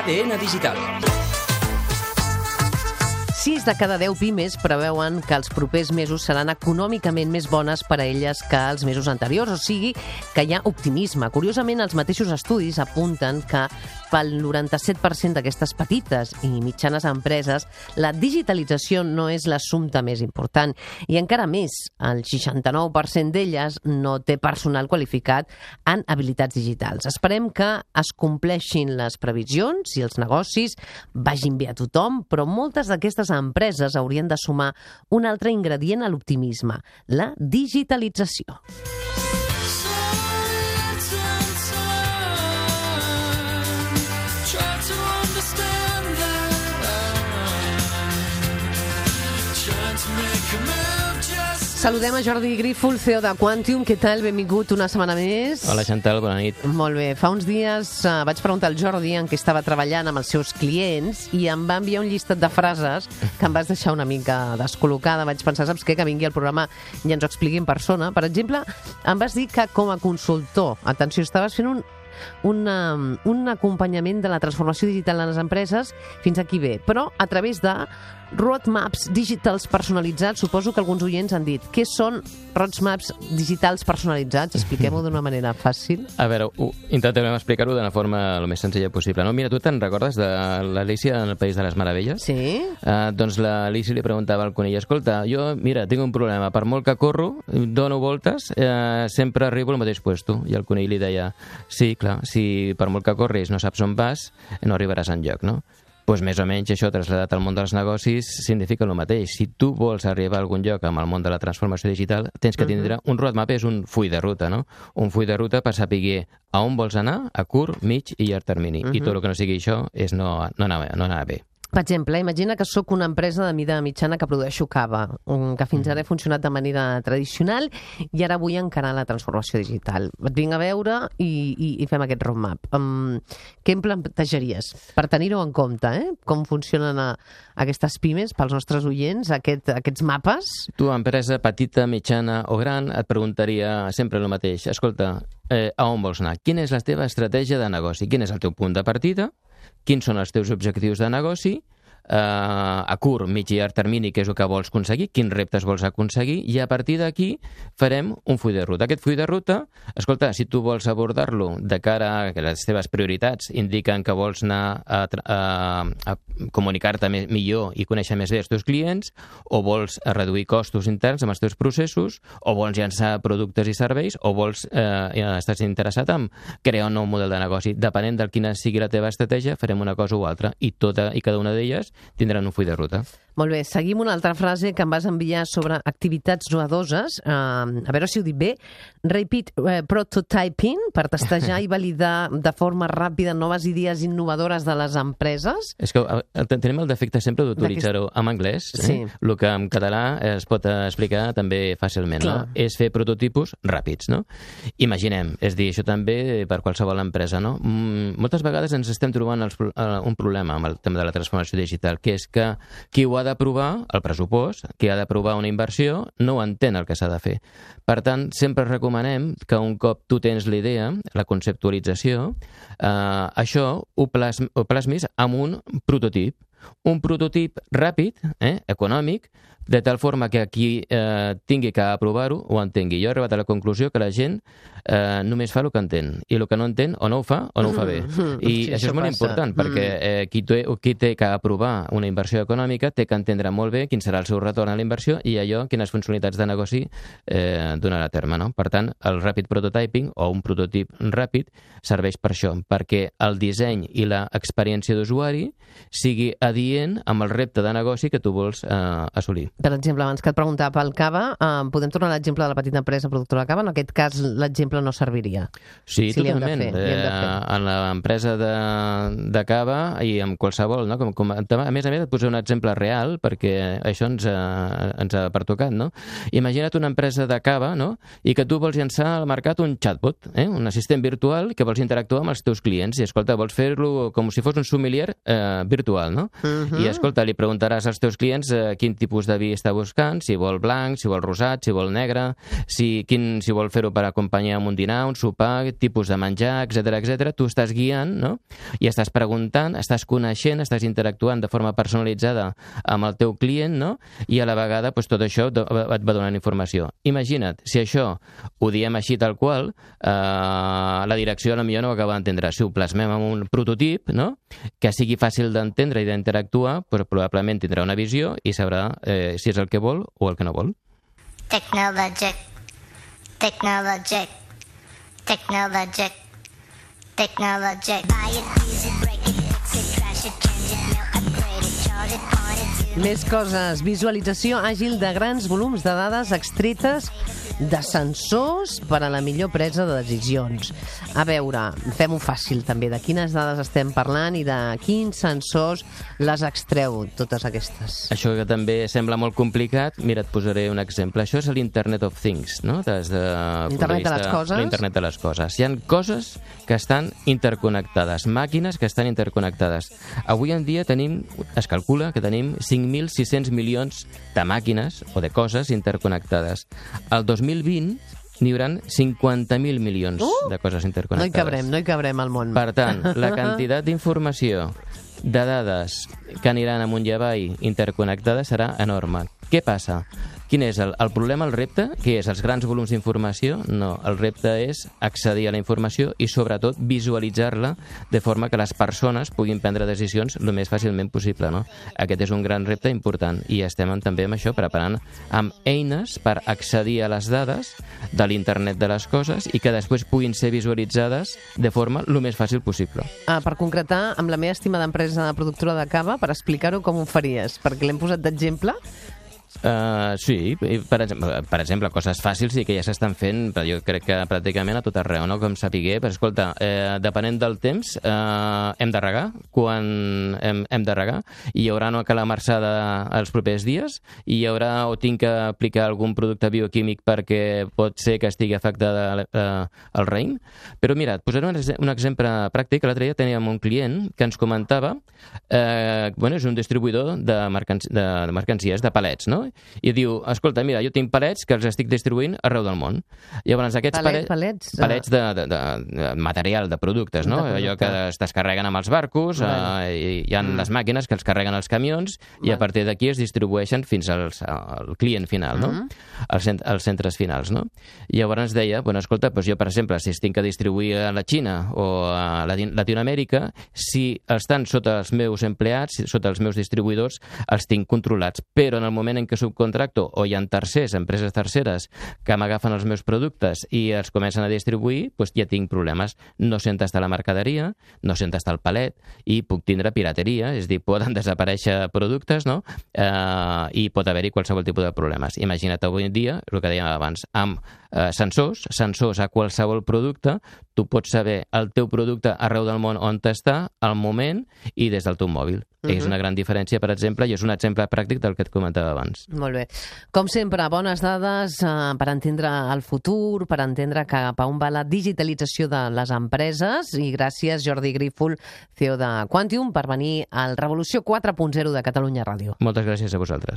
ADN Digital. 6 de cada 10 pimes preveuen que els propers mesos seran econòmicament més bones per a elles que els mesos anteriors, o sigui que hi ha optimisme. Curiosament, els mateixos estudis apunten que pel 97% d'aquestes petites i mitjanes empreses la digitalització no és l'assumpte més important i encara més, el 69% d'elles no té personal qualificat en habilitats digitals. Esperem que es compleixin les previsions i els negocis vagin bé a tothom, però moltes d'aquestes empreses haurien de sumar un altre ingredient a l'optimisme, la digitalització. Saludem a Jordi Grífol, CEO de Quantium. Què tal? Benvingut una setmana més. Hola, Chantal, bona nit. Molt bé. Fa uns dies vaig preguntar al Jordi en què estava treballant amb els seus clients i em va enviar un llistat de frases que em vas deixar una mica descol·locada. Vaig pensar, saps què? Que vingui al programa i ens ho expliqui en persona. Per exemple, em vas dir que com a consultor, atenció, estaves fent un acompanyament de la transformació digital en les empreses fins aquí bé, però a través de roadmaps digitals personalitzats. Suposo que alguns oients han dit, què són roadmaps digitals personalitzats? Expliquem-ho d'una manera fàcil. A veure, intentarem explicar-ho d'una forma el més senzilla possible. No? Mira, tu te'n recordes de l'Alícia en el País de les Meravelles? Sí. Doncs l'Alícia li preguntava al conill, escolta, jo, mira, tinc un problema, per molt que corro, dono voltes, sempre arribo al mateix puesto. I el conill li deia, sí, clar, si per molt que corris no saps on vas, no arribaràs enlloc, no? Doncs més o menys això traslladat al món dels negocis significa el mateix. Si tu vols arribar a algun lloc amb el món de la transformació digital, tens que tindre un roadmap, és un full de ruta, no? Un full de ruta per saber a on vols anar, a curt, mig i llarg termini. I tot el que no sigui això és no anar bé. Per exemple, imagina que sóc una empresa de mida mitjana que produeixo cava, que fins ara he funcionat de manera tradicional i ara vull encarar la transformació digital. Et vinc a veure i fem aquest roadmap. Què em plantejaries? Per tenir-ho en compte, com funcionen aquestes pimes pels nostres oients, aquests mapes? Tu, empresa petita, mitjana o gran, et preguntaria sempre el mateix. Escolta, a on vols anar? Quina és la teva estratègia de negoci? Quin és el teu punt de partida? Quins són els teus objectius de negoci, a curt, mig i llarg termini, què és el que vols aconseguir, quins reptes vols aconseguir, i a partir d'aquí farem un full de ruta. Aquest full de ruta, escolta, si tu vols abordar-lo de cara a que les teves prioritats indiquen que vols anar a comunicar-te millor i conèixer més bé els teus clients, o vols reduir costos interns amb els teus processos, o vols llançar productes i serveis, o vols estàs interessat en crear un nou model de negoci. Depenent de quina sigui la teva estratègia, farem una cosa o altra, i cada una d'elles tindran un full de ruta. Molt bé, seguim una altra frase que em vas enviar sobre activitats novedoses. A veure si ho dic bé. Rapid prototyping, per testejar i validar de forma ràpida noves idees innovadores de les empreses. És que tenim el defecte sempre d'utilitzar-ho en anglès, el que en català es pot explicar també fàcilment, no? És fer prototipus ràpids, no? Imaginem, és dir, això també per qualsevol empresa, no? Moltes vegades ens estem trobant un problema amb el tema de la transformació digital, que és que qui ho ha d'aprovar, el pressupost, qui ha d'aprovar una inversió, no entén el que s'ha de fer. Per tant, sempre recomanem que un cop tu tens la idea, la conceptualització, això ho plasmis amb un prototip ràpid, econòmic, de tal forma que qui tingui que aprovar-ho ho entengui. Jo he arribat a la conclusió que la gent només fa el que entén, i el que no entén o no ho fa o no ho fa bé. I això és molt important, perquè qui té que aprovar una inversió econòmica té que entendre molt bé quin serà el seu retorn a la inversió i allò, quines funcionalitats de negoci donarà a terme, no? Per tant, el rapid prototyping o un prototip ràpid serveix per això, perquè el disseny i l'experiència d'usuari sigui adient amb el repte de negoci que tu vols assolir. Per exemple, abans que et preguntava pel cava, podem tornar a l'exemple de la petita empresa productora de cava? En aquest cas, l'exemple no serviria. Sí, totalment. En l'empresa de cava i en qualsevol, no? A més, et posaré un exemple real, perquè això ens ha pertocat, no? Imagina't una empresa de cava, no? I que tu vols llançar al mercat un chatbot, un assistent virtual que vols interactuar amb els teus clients. I, escolta, vols fer-lo com si fos un sommelier virtual, no? I, escolta, li preguntaràs als teus clients quin tipus de vi codi està buscant, si vol blanc, si vol rosat, si vol negre, si vol fer-ho per acompanyar amb un dinar, un sopar, tipus de menjar, etc. Tu estàs guiant, no? I estàs preguntant, estàs coneixent, estàs interactuant de forma personalitzada amb el teu client, no? I a la vegada tot això et va donant informació. Imagina't, si això ho diem així tal qual, la direcció potser no ho acaba d'entendre. Si ho plasmem en un prototip, no? Que sigui fàcil d'entendre i d'interactuar, però probablement tindrà una visió i sabrà si és el que vol o el que no vol. Technologic. Buy it, use it, break it, fix it, trash it, change it, mail, upgrade it, charge it, point it to... Més coses. Visualització àgil de grans volums de dades extretes de sensors per a la millor presa de decisions. A veure, fem-ho fàcil també, de quines dades estem parlant i de quins sensors les extreu, totes aquestes. Això que també sembla molt complicat, mira, et posaré un exemple. Això és l'Internet of Things, no? L'Internet de les coses? L'Internet de les coses. Hi ha coses que estan interconnectades, màquines que estan interconnectades. Avui en dia es calcula que tenim 5.600 milions de màquines o de coses interconnectades. El 2020 n'hi haurà 50.000 milions de coses interconnectades. No hi cabrem al món. Per tant, la quantitat d'informació, de dades que aniran amunt i avall interconnectades serà enorme. Què passa? Quin és el problema, el repte? Què és? Els grans volums d'informació? No, el repte és accedir a la informació i, sobretot, visualitzar-la de forma que les persones puguin prendre decisions el més fàcilment possible, no? Aquest és un gran repte important i estem també amb això preparant amb eines per accedir a les dades de l'Internet de les coses i que després puguin ser visualitzades de forma el més fàcil possible. Per concretar, amb la meva estimada empresa productora de cava, per explicar-ho com ho faries? Perquè l'hem posat d'exemple. Sí, per exemple, coses fàcils i que ja s'estan fent, però jo crec que pràcticament a tot arreu, no? Com sapiguer, però escolta, depenent del temps, hem de regar, quan hem de regar, i hi haurà una calamarsada els propers dies, i hi haurà o tinc que aplicar algun producte bioquímic perquè pot ser que estigui afectada el raïm. Però mira, et posaré un exemple pràctic. L'altre dia teníem un client que ens comentava, és un distribuïdor de mercancies, de palets, no? I diu, escolta, mira, jo tinc palets que els estic distribuint arreu del món. Llavors, aquests palets de material, de productes, no? Allò que es descarreguen amb els barcos, hi ha les màquines que els carreguen als camions i a partir d'aquí es distribueixen fins al client final, no? Als centres finals, no? I llavors ens deia, escolta, jo, per exemple, si es tinc que distribuir a la Xina o a Latinoamèrica, si estan sota els meus empleats, sota els meus distribuïdors, els tinc controlats. Però en el moment en què subcontracto o hi ha empreses terceres que m'agafen els meus productes i els comencen a distribuir, ja tinc problemes. No sé on està la mercaderia, no sé on està el palet i puc tindre pirateria, és a dir, poden desaparèixer productes, no? I pot haver-hi qualsevol tipus de problemes. Imagina't avui en dia, el que dèiem abans, amb sensors a qualsevol producte, tu pots saber el teu producte arreu del món on està, al moment i des del teu mòbil. És una gran diferència, per exemple, i és un exemple pràctic del que et comentava abans. Molt bé. Com sempre, bones dades per entendre el futur, per entendre cap a on va la digitalització de les empreses, i gràcies, Jordi Grífol, CEO de Quantium, per venir al Revolució 4.0 de Catalunya Ràdio. Moltes gràcies a vosaltres.